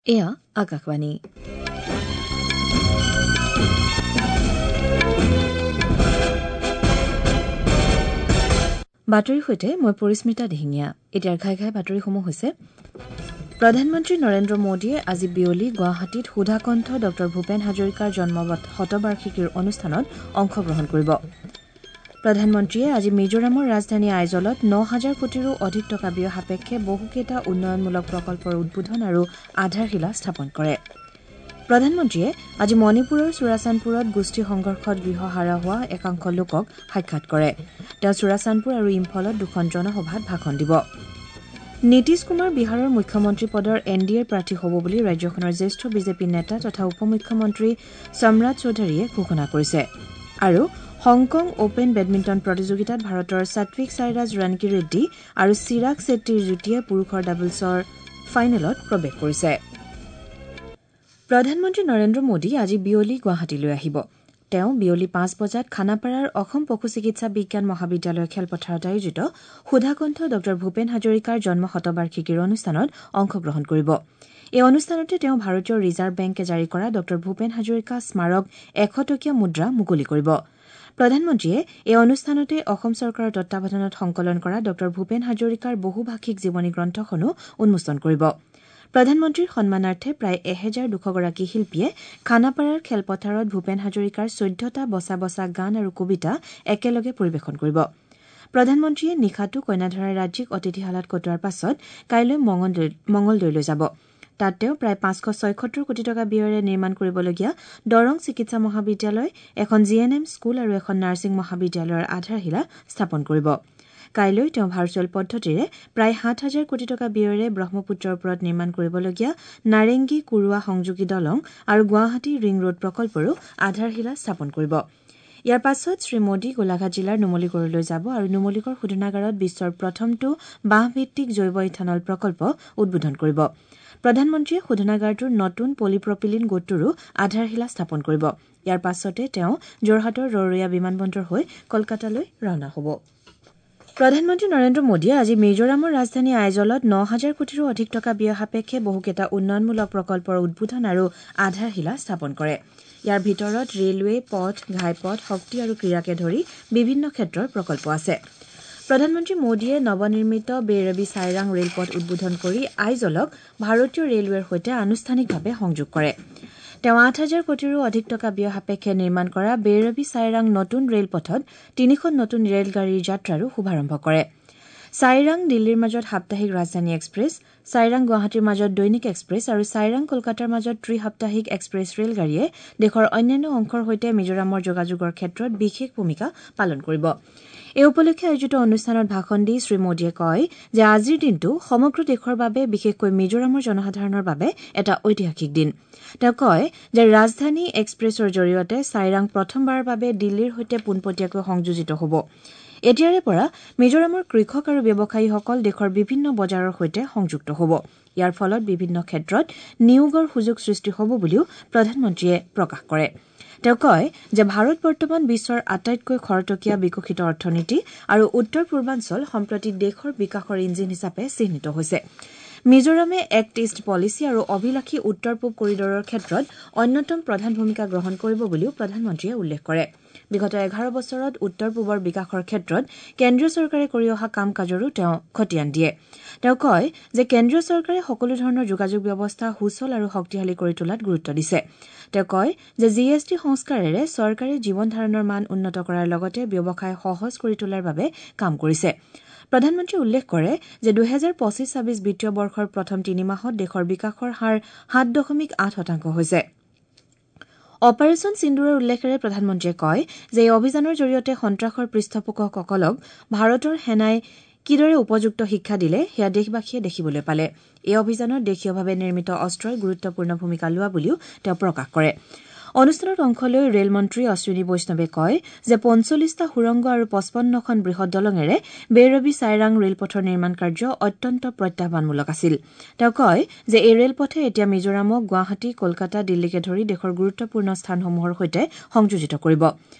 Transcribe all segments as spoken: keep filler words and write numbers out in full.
এয়া আকাশবাণী। বাতৰিৰ সৈতে মই পৰিস্মিতা দিহিঙীয়া। এতিয়াৰ ঘাই ঘাই বাতৰিসমূহ হৈছে: প্ৰধানমন্ত্ৰী নৰেন্দ্ৰ মোদীয়ে আজি বিয়লি গুৱাহাটীত সুধাকণ্ঠ ডঃ ভূপেন হাজৰিকাৰ জন্ম শতবাৰ্ষিকীৰ অনুষ্ঠানত অংশগ্ৰহণ কৰিব। প্ৰধানমন্ত্ৰীয়ে আজি মিজোৰামৰ ৰাজধানী আইজলত ন হাজাৰ কোটিৰো অধিক টকা ব্যয় সাপেক্ষে বহুকেইটা উন্নয়নমূলক প্ৰকল্পৰ উদ্বোধন আৰু আধাৰশিলা স্থাপন কৰে। প্ৰধানমন্ত্ৰীয়ে আজি মণিপুৰৰ চুৰাচান্দপুৰত গোষ্ঠী সংঘৰ্ষত গৃহহাৰা হোৱা একাংশ লোকক সাক্ষাৎ কৰে। তেওঁ চুৰাচান্দপুৰ আৰু ইম্ফলত দুখন জনসভাত ভাষণ দিব। নীতিশ কুমাৰ বিহাৰৰ মুখ্যমন্ত্ৰী পদৰ এন ডি এৰ প্ৰাৰ্থী হ'ব বুলি ৰাজ্যখনৰ জ্যেষ্ঠ বিজেপি নেতা তথা উপ মুখ্যমন্ত্ৰী সম্ৰাট চৌধুৰীয়ে ঘোষণা কৰিছে। আৰু হংকং অপেন বেডমিণ্টন প্ৰতিযোগিতাত ভাৰতৰ সাত্বিক সাইৰাজ ৰানকি ৰেড্ডী আৰু চিৰাগ চেট্টীৰ যুটীয়ে পুৰুষৰ ডাবলছৰ ফাইনেলত প্ৰৱেশ কৰিছে। প্ৰধানমন্ত্ৰী নৰেন্দ্ৰ মোদী আজি বিয়লি গুৱাহাটীলৈ আহিব। তেওঁ বিয়লি পাঁচ বজাত খানাপাৰাৰ অসম পশু চিকিৎসা বিজ্ঞান মহাবিদ্যালয়ৰ খেলপথাৰত আয়োজিত সুধাকণ্ঠ ডঃ ভূপেন হাজৰিকাৰ জন্ম শতবাৰ্ষিকীৰ অনুষ্ঠানত অংশগ্ৰহণ কৰিব। এই অনুষ্ঠানতে তেওঁ ভাৰতীয় ৰিজাৰ্ভ বেংকে জাৰি কৰা ডঃ ভূপেন হাজৰিকা স্মাৰক এশ টকীয়া মুদ্ৰা মুকলি কৰিব। প্ৰধানমন্ত্ৰীয়ে এই অনুষ্ঠানতে অসম চৰকাৰৰ তত্বাৱধানত সংকলন কৰা ডঃ ভূপেন হাজৰিকাৰ বহুভাষিক জীৱনী গ্ৰন্থখনো উন্মোচন কৰিব। প্ৰধানমন্ত্ৰীৰ সন্মানাৰ্থে প্ৰায় এহেজাৰ দুশগৰাকী শিল্পীয়ে খানাপাৰাৰ খেলপথাৰত ভূপেন হাজৰিকাৰ চৈধ্যটা বচা বচা গান আৰু কবিতা একেলগে পৰিৱেশন কৰিব। প্ৰধানমন্ত্ৰীয়ে নিশাটো কইনাধৰাৰ ৰাজ্যিক অতিথিশালাত কটোৱাৰ পাছত কাইলৈ মঙলদৈলৈ যাব। তাত তেওঁ প্ৰায় পাঁচশ ছয়সত্তৰ কোটি টকা ব্যয়েৰে নিৰ্মাণ কৰিবলগীয়া দৰং চিকিৎসা মহাবিদ্যালয়, এখন জি এন এম স্কুল আৰু এখন নাৰ্ছিং মহাবিদ্যালয়ৰ আধাৰশিলা স্থাপন কৰিব। কাইলৈ তেওঁ ভাৰ্চুৱেল পদ্ধতিৰে প্ৰায় সাত হাজাৰ কোটি টকা ব্যয়েৰে ব্ৰহ্মপুত্ৰৰ ওপৰত নিৰ্মাণ কৰিবলগীয়া নাৰেংগী কুৰুৱা সংযোগী দলং আৰু গুৱাহাটী ৰিং ৰোড প্ৰকল্পৰো আধাৰশিলা স্থাপন কৰিব। ইয়াৰ পাছত শ্ৰীমোদী গোলাঘাট জিলাৰ নুমলীগড়লৈ যাব আৰু নুমলীগড় শোধনাগাৰত বিশ্বৰ প্ৰথমটো বাঁহভিত্তিক জৈৱ ইথানল প্ৰকল্প উদ্বোধন কৰিব। প্ৰধানমন্ত্ৰীয়ে শোধনাগাৰটোৰ নতুন পলিপ্ৰপিলিন গোটটোৰো আধাৰশিলা স্থাপন কৰিব। ইয়াৰ পাছতে তেওঁ যোৰহাটৰ ৰৰৈয়া বিমানবন্দৰ হৈ কলকাতালৈ ৰাওনা হ'ব। প্ৰধানমন্ত্ৰী নৰেন্দ্ৰ মোদীয়ে আজি মিজোৰামৰ ৰাজধানী আইজলত ন হাজাৰ কোটিৰো অধিক টকা ব্যয় সাপেক্ষে বহুকেইটা উন্নয়নমূলক প্ৰকল্পৰ উদ্বোধন আৰু আধাৰশিলা স্থাপন কৰে। ইয়াৰ ভিতৰত ৰেলৱে, পথ, ঘাইপথ, শক্তি আৰু ক্ৰীড়াকে ধৰি বিভিন্ন ক্ষেত্ৰৰ প্ৰকল্প আছে। প্ৰধানমন্ত্ৰী মোদীয়ে নৱনিৰ্মিত বেইৰবি চাইৰাং ৰেলপথ উদ্বোধন কৰি আইজলক ভাৰতীয় ৰেলৱেৰ সৈতে আনুষ্ঠানিকভাৱে সংযোগ কৰে। তেওঁ আঠ হাজাৰ কোটিৰো অধিক টকা ব্যয় সাপেক্ষে নিৰ্মাণ কৰা বেইৰবি চাইৰাং নতুন ৰেলপথত তিনিখন নতুন ৰেলগাড়ীৰ যাত্ৰাৰো শুভাৰম্ভ কৰে। চাইৰাং দিল্লীৰ মাজত সাপ্তাহিক ৰাজধানী এক্সপ্ৰেছ, চাইৰাং গুৱাহাটীৰ মাজত দৈনিক এক্সপ্ৰেছ আৰু চাইৰাং কলকাতাৰ মাজত ত্ৰিসাপ্তাহিক এক্সপ্ৰেছ ৰেলগাড়ীয়ে দেশৰ অন্যান্য অংশৰ সৈতে মিজোৰামৰ যোগাযোগৰ ক্ষেত্ৰত বিশেষ ভূমিকা পালন কৰিব। এই উপলক্ষে আয়োজিত অনুষ্ঠানত ভাষণ দি শ্ৰীমোদীয়ে কয় যে আজিৰ দিনটো সমগ্ৰ দেশৰ বাবে, বিশেষকৈ মিজোৰামৰ জনসাধাৰণৰ বাবে এটা ঐতিহাসিক দিন। তেওঁ কয় যে ৰাজধানী এক্সপ্ৰেছৰ জৰিয়তে চাইৰাং প্ৰথমবাৰৰ বাবে দিল্লীৰ সৈতে পোনপটীয়াকৈ সংযোজিত হ'ব। এতিয়াৰে পৰা মিজোৰামৰ কৃষক আৰু ব্যৱসায়ীসকল দেশৰ বিভিন্ন বজাৰৰ সৈতে সংযুক্ত হ'ব। ইয়াৰ ফলত বিভিন্ন ক্ষেত্ৰত নিয়োগৰ সুযোগ সৃষ্টি হ'ব বুলিও প্ৰধানমন্ত্ৰীয়ে প্ৰকাশ কৰে। তেওঁ কয় যে ভাৰত বৰ্তমান বিশ্বৰ আটাইতকৈ খৰতকীয়া বিকশিত অৰ্থনীতি আৰু উত্তৰ পূৰ্বাঞ্চল সম্প্ৰতি দেশৰ বিকাশৰ ইঞ্জিন হিচাপে চিহ্নিত হৈছে। মিজোৰামে এক্ট ইষ্ট পলিচি আৰু অভিলাষী উত্তৰ পূব কৰিডৰৰ ক্ষেত্ৰত অন্যতম প্ৰধান ভূমিকা গ্ৰহণ কৰিব বুলিও প্ৰধানমন্ত্ৰীয়ে উল্লেখ কৰে। বিগত এঘাৰ বছৰত উত্তৰ পূবৰ বিকাশৰ ক্ষেত্ৰত কেন্দ্ৰীয় চৰকাৰে কৰি অহা কাম কাজৰো তেওঁ খতিয়ান দিয়ে। তেওঁ কয় যে কেন্দ্ৰীয় চৰকাৰে সকলো ধৰণৰ যোগাযোগ ব্যৱস্থা সুচল আৰু শক্তিশালী কৰি তোলাত গুৰুত্ব দিছে। তেওঁ কয় যে জি এছ টি সংস্কাৰেৰে চৰকাৰে জীৱন ধাৰণৰ মান উন্নত কৰাৰ লগতে ব্যৱসায় সহজ কৰি তোলাৰ বাবে কাম কৰিছে। প্ৰধানমন্ত্ৰীয়ে উল্লেখ কৰে যে দুহেজাৰ পঁচিছ ছাব্বিছ বিত্তীয় বৰ্ষৰ প্ৰথম তিনি মাহত দেশৰ বিকাশৰ হাৰ সাত দশমিক আঠ শতাংশ হৈছে। অপাৰেচন সিন্দুৰৰ উল্লেখেৰে প্ৰধানমন্ত্ৰীয়ে কয় যে এই অভিযানৰ জৰিয়তে সন্ত্ৰাসৰ পৃষ্ঠপোষকসকলক ভাৰতৰ সেনাই কিদৰে উপযুক্ত শিক্ষা দিলে সেয়া দেশবাসীয়ে দেখিবলৈ পালে। এই অভিযানত দেশীয়ভাৱে নিৰ্মিত অস্ত্ৰই গুৰুত্বপূৰ্ণ ভূমিকা লোৱা বুলিও তেওঁ প্ৰকাশ কৰে। অনুষ্ঠানত অংশ লৈ ৰেল মন্ত্ৰী অশ্বিনী বৈষ্ণৱে কয় যে পঞ্চল্লিছটা সুৰংগ আৰু পঁচপন্নখন বৃহৎ দলঙেৰে বেইৰবি চাইৰাং ৰেলপথৰ নিৰ্মাণ কাৰ্য অত্যন্ত প্ৰত্যাহ্বানমূলক আছিল। তেওঁ কয় যে এই ৰেলপথে এতিয়া মিজোৰামক গুৱাহাটী, কলকাতা, দিল্লীকে ধৰি দেশৰ গুৰুত্বপূৰ্ণ স্থানসমূহৰ সৈতে সংযোজিত কৰিব।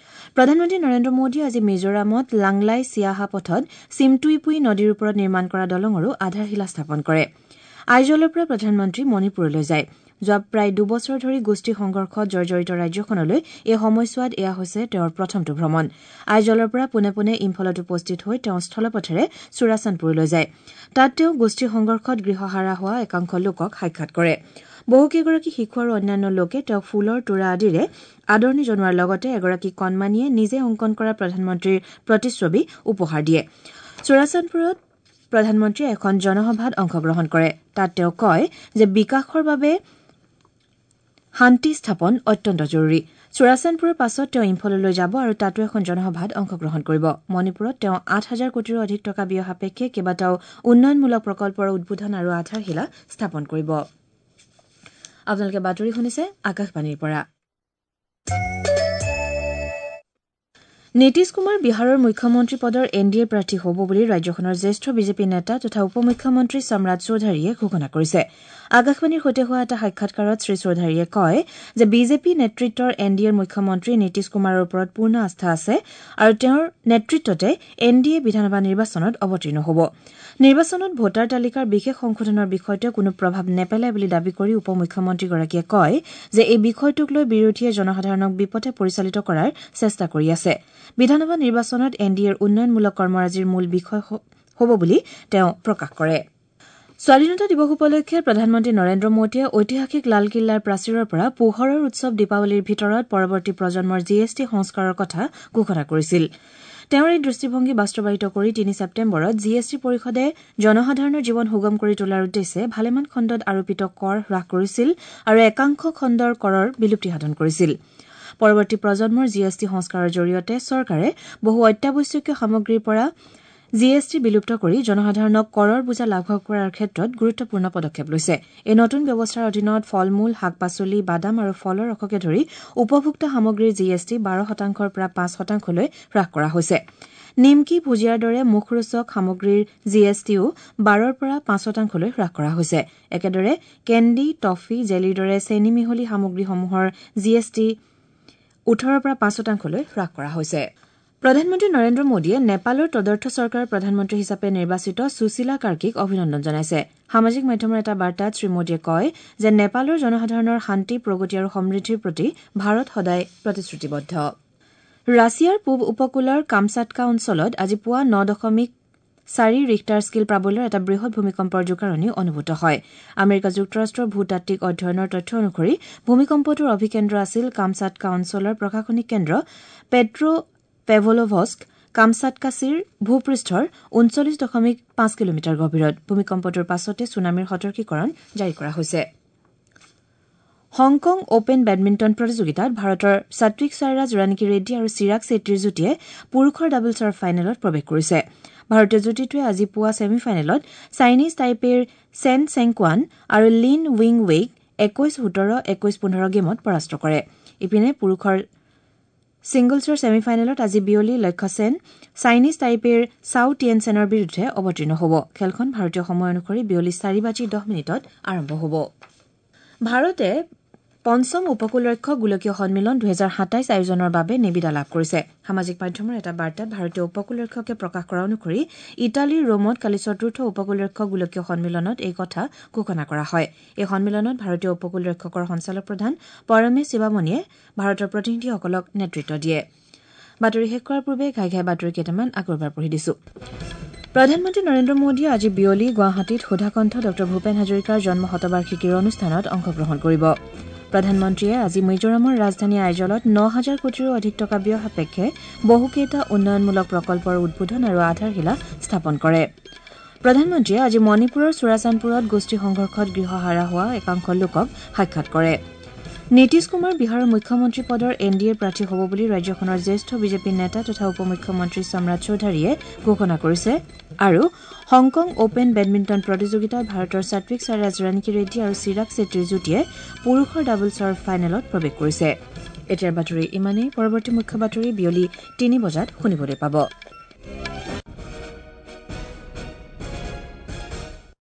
প্ৰধানমন্ত্ৰী নৰেন্দ্ৰ মোদীয়ে আজি মিজোৰামত লাংলাই চিয়াহা পথত চিমটুইপুই নদীৰ ওপৰত নিৰ্মাণ কৰা দলঙৰো আধাৰশিলা স্থাপন কৰে। আইজলৰ পৰা প্ৰধানমন্ত্ৰী মণিপুৰলৈ যায়। যোৱা প্ৰায় দুবছৰ ধৰি গোষ্ঠী সংঘৰ্ষত জৰ্জৰিত ৰাজ্যখনলৈ এই সময়ছোৱাত এয়া হৈছে তেওঁৰ প্ৰথমটো ভ্ৰমণ। আইজলৰ পৰা পোনে পোনে ইম্ফলত উপস্থিত হৈ তেওঁ স্থলপথেৰে চুৰাচান্দপুৰলৈ যায়। তাত তেওঁ গোষ্ঠী সংঘৰ্ষত গৃহহাৰা হোৱা একাংশ লোকক সাক্ষাৎ কৰে। বহুকেইগৰাকী শিশু আৰু অন্যান্য লোকে তেওঁক ফুলৰ তোৰা আদিৰে আদৰণি জনোৱাৰ লগতে এগৰাকী কণমানিয়ে নিজে অংকন কৰা প্ৰধানমন্ত্ৰীৰ প্ৰতিচ্ছবি উপহাৰ দিয়ে। চুৰাচান্দপুৰত প্ৰধানমন্ত্ৰীয়ে এখন জনসভাত অংশগ্ৰহণ কৰে। তাত তেওঁ কয় যে বিকাশৰ বাবে শান্তি স্থাপন অত্যন্ত জৰুৰী। চুৰাচান্দপুৰৰ পাছত তেওঁ ইম্ফললৈ যাব আৰু তাতো এখন জনসভাত অংশগ্ৰহণ কৰিব। মণিপুৰত তেওঁ আঠ হাজাৰ কোটিৰো অধিক টকা ব্যয় সাপেক্ষে কেইবাটাও উন্নয়নমূলক প্ৰকল্পৰ উদ্বোধন আৰু আধাৰশিলা স্থাপন কৰিব। আপোনালোকে বাতৰি শুনিছে আকাশবাণীৰ পৰা। নীতিশ কুমাৰ বিহাৰৰ মুখ্যমন্ত্ৰী পদৰ এন ডি এ প্ৰাৰ্থী হ'ব বুলি ৰাজ্যখনৰ জ্যেষ্ঠ বিজেপি নেতা তথা উপ মুখ্যমন্ত্ৰী সম্ৰাট চৌধাৰীয়ে ঘোষণা কৰিছে। আকাশবাণীৰ সৈতে হোৱা এটা সাক্ষাৎকাৰত শ্ৰী চৌধাৰীয়ে কয় যে বিজেপি নেতৃত্বৰ এন ডি এৰ মুখ্যমন্ত্ৰী নীতিশ কুমাৰৰ ওপৰত পূৰ্ণ আস্থা আছে আৰু তেওঁৰ নেতৃত্বতে এন ডি এ বিধানসভা নিৰ্বাচনত অৱতীৰ্ণ হ'ব। নিৰ্বাচনত ভোটাৰ তালিকাৰ বিশেষ সংশোধনৰ বিষয়টোৱে কোনো প্ৰভাৱ নেপেলায় বুলি দাবী কৰি উপ মুখ্যমন্ত্ৰীগৰাকীয়ে কয় যে এই বিষয়টোক লৈ বিৰোধীয়ে জনসাধাৰণক বিপথে পৰিচালিত কৰাৰ চেষ্টা কৰি আছে। বিধানসভা নিৰ্বাচনত এন ডি এৰ উন্নয়নমূলক কৰ্মৰাজিৰ মূল বিষয় হ'ব বুলি তেওঁ প্ৰকাশ কৰে। স্বাধীনতা দিৱস উপলক্ষে প্ৰধানমন্ত্ৰী নৰেন্দ্ৰ মোদীয়ে ঐতিহাসিক লালকিল্লাৰ প্ৰাচীৰৰ পৰা পোহৰৰ উৎসৱ দীপাৱলীৰ ভিতৰত পৰৱৰ্তী প্ৰজন্মৰ জি এছ টি সংস্কাৰৰ কথা ঘোষণা কৰিছিল। তেওঁৰ এই দৃষ্টিভংগী বাস্তৱায়িত কৰি তিনি ছেপ্টেম্বৰত জি এছ টি পৰিষদে জনসাধাৰণৰ জীৱন সুগম কৰি তোলাৰ উদ্দেশ্যে ভালেমান খণ্ডত আৰোপিত কৰ হ্ৰাস কৰিছিল আৰু একাংশ খণ্ডৰ কৰৰ বিলুপ্তি সাধন কৰিছিল। পৰৱৰ্তী প্ৰজন্মৰ জি এছ টি সংস্কাৰৰ জৰিয়তে চৰকাৰে বহু অত্যাৱশ্যকীয় সামগ্ৰীৰ পৰা জি এছ টি বিলুপ্ত কৰি জনসাধাৰণক কৰৰ বোজা লাঘৱ কৰাৰ ক্ষেত্ৰত গুৰুত্বপূৰ্ণ পদক্ষেপ লৈছে। এই নতুন ব্যৱস্থাৰ অধীনত ফল-মূল, শাক-পাচলি, বাদাম আৰু ফলৰ ৰসকে ধৰি উপভোক্তা সামগ্ৰীৰ জি এছ টি বাৰ শতাংশৰ পৰা পাঁচ শতাংশলৈ হ্ৰাস কৰা হৈছে। নিমকি, ভুজিয়াৰ দৰে মুখৰোচক সামগ্ৰীৰ জি এছ টিও বাৰৰ পৰা পাঁচ শতাংশলৈ হ্ৰাস কৰা হৈছে। একেদৰে কেণ্ডি, টফি, জেলিৰ দৰে চেনী মিহলি সামগ্ৰীসমূহৰ জি এছ টি ওঠৰৰ পৰা পাঁচ শতাংশলৈ হ্ৰাস কৰা হৈছে। প্ৰধানমন্ত্ৰী নৰেন্দ্ৰ মোদীয়ে নেপালৰ তদৰ্থ চৰকাৰৰ প্ৰধানমন্ত্ৰী হিচাপে নিৰ্বাচিত সুশীলা কাৰ্কীক অভিনন্দন জনাইছে। সামাজিক মাধ্যমৰ এটা বাৰ্তাত শ্ৰীমোদীয়ে কয় যে নেপালৰ জনসাধাৰণৰ শান্তি, প্ৰগতি আৰু সমৃদ্ধিৰ প্ৰতি ভাৰত সদায় প্ৰতিশ্ৰুতিবদ্ধ। ৰাছিয়াৰ পূব উপকূলৰ কামচাটকা অঞ্চলত আজি পুৱা ন দশমিক চাৰি ৰিখটাৰ স্কেল প্ৰাবল্যৰ এটা বৃহৎ ভূমিকম্পৰ জোকাৰণি অনুভূত হয়। আমেৰিকা যুক্তৰাষ্ট্ৰৰ ভূতাত্ত্বিক অধ্যয়নৰ তথ্য অনুসৰি ভূমিকম্পটোৰ অভিকেন্দ্ৰ আছিল কামচাটকা অঞ্চলৰ প্ৰশাসনিক কেন্দ্ৰ পেট্ৰ পেভলোভস্ক কামচাটকাছিৰ ভূপৃষ্ঠৰ ঊনচল্লিছ দশমিক পাঁচ কিলোমিটাৰ গভীৰত। ভূমিকম্পটোৰ পাছতে ছুনামিৰ সতৰ্কীকৰণ জাৰি কৰা হৈছে। হংকং অপেন বেডমিণ্টন প্ৰতিযোগিতাত ভাৰতৰ সাত্বিক সাইৰাজ, ৰাণিকী ৰেড্ডী আৰু চিৰাগ চেট্টীৰ যুটীয়ে পুৰুষৰ ডাবলছৰ ফাইনেলত প্ৰৱেশ কৰিছে। ভাৰতীয় যুটীটোৱে আজি পুৱা ছেমি ফাইনেলত চাইনিজ টাইপেৰ চেন চেংকুৱান আৰু লিন উইং ৱেইক একৈশ সোতৰ, একৈশ পোন্ধৰ গেমত পৰাস্ত কৰে। ইপিনে পুৰুষৰ ছিংগলছৰ ছেমি ফাইনেলত আজি বিয়লি লক্ষ্য সেন চাইনিজ টাইপেৰ চাও টিয়েন চেনৰ বিৰুদ্ধে অৱতীৰ্ণ হ'ব। খেলখন ভাৰতীয় সময় অনুসৰি বিয়লি চাৰি বাজি দহ মিনিটত আৰম্ভ হ'ব। ভাৰতে পঞ্চম উপকূলৰক্ষক গোলকীয় সন্মিলন দুহেজাৰ সাতাইছ আয়োজনৰ বাবে নিবিদা লাভ কৰিছে। সামাজিক মাধ্যমৰ এটা বাৰ্তাত ভাৰতীয় উপকূলৰক্ষকে প্ৰকাশ কৰা অনুসৰি ইটালীৰ ৰোমত কালি চতুৰ্থ উপকূলৰক্ষক গোলকীয় সন্মিলনত এই কথা ঘোষণা কৰা হয়। এই সন্মিলনত ভাৰতীয় উপকূলৰক্ষকৰ সঞ্চালক প্ৰধান পৰমেশ শিৱামণিয়ে ভাৰতৰ প্ৰতিনিধিসকলক নেতৃত্ব দিয়ে। বাতৰি শেষ কৰাৰ পূৰ্বে ঘাই ঘাই বাতৰি কেইটামান আকৌ এবাৰ পঢ়ি দিছো। প্ৰধানমন্ত্ৰী নৰেন্দ্ৰ মোদীয়ে আজি বিয়লি গুৱাহাটীত সুধাকণ্ঠ ডঃ ভূপেন হাজৰিকাৰ জন্ম শতবাৰ্ষিকীৰ অনুষ্ঠানত অংশগ্ৰহণ কৰিব। প্ৰধানমন্ত্ৰীয়ে আজি মিজোৰামৰ ৰাজধানী আইজলত ন হাজাৰ কোটিৰো অধিক টকা ব্যয় সাপেক্ষে বহুকেইটা উন্নয়নমূলক প্ৰকল্পৰ উদ্বোধন আৰু আধাৰশিলা স্থাপন কৰে। প্ৰধানমন্ত্ৰীয়ে আজি মণিপুৰৰ চুৰাচান্দপুৰত গোষ্ঠী সংঘৰ্ষত গৃহহাৰা হোৱা একাংশ লোকক সাক্ষাৎ কৰে। নীতিশ কুমাৰ বিহাৰৰ মুখ্যমন্ত্ৰী পদৰ এন ডি এৰ প্ৰাৰ্থী হ'ব বুলি ৰাজ্যখনৰ জ্যেষ্ঠ বিজেপি নেতা তথা উপ মুখ্যমন্ত্ৰী সম্ৰাট চৌধাৰীয়ে ঘোষণা কৰিছে। আৰু হংকং অপেন বেডমিণ্টন প্ৰতিযোগিতাত ভাৰতৰ সাত্বিক সাইৰাজ, ৰাণিকী ৰেড্ডী আৰু চিৰাগ চেট্টীৰ যুটীয়ে পুৰুষৰ ডাবলছৰ ফাইনেলত প্ৰৱেশ কৰিছে। এতিয়াৰ বাতৰি ইমানেই। পৰৱৰ্তী মুখ্য বাতৰি বিয়লি তিনি বজাত শুনিবলৈ পাব।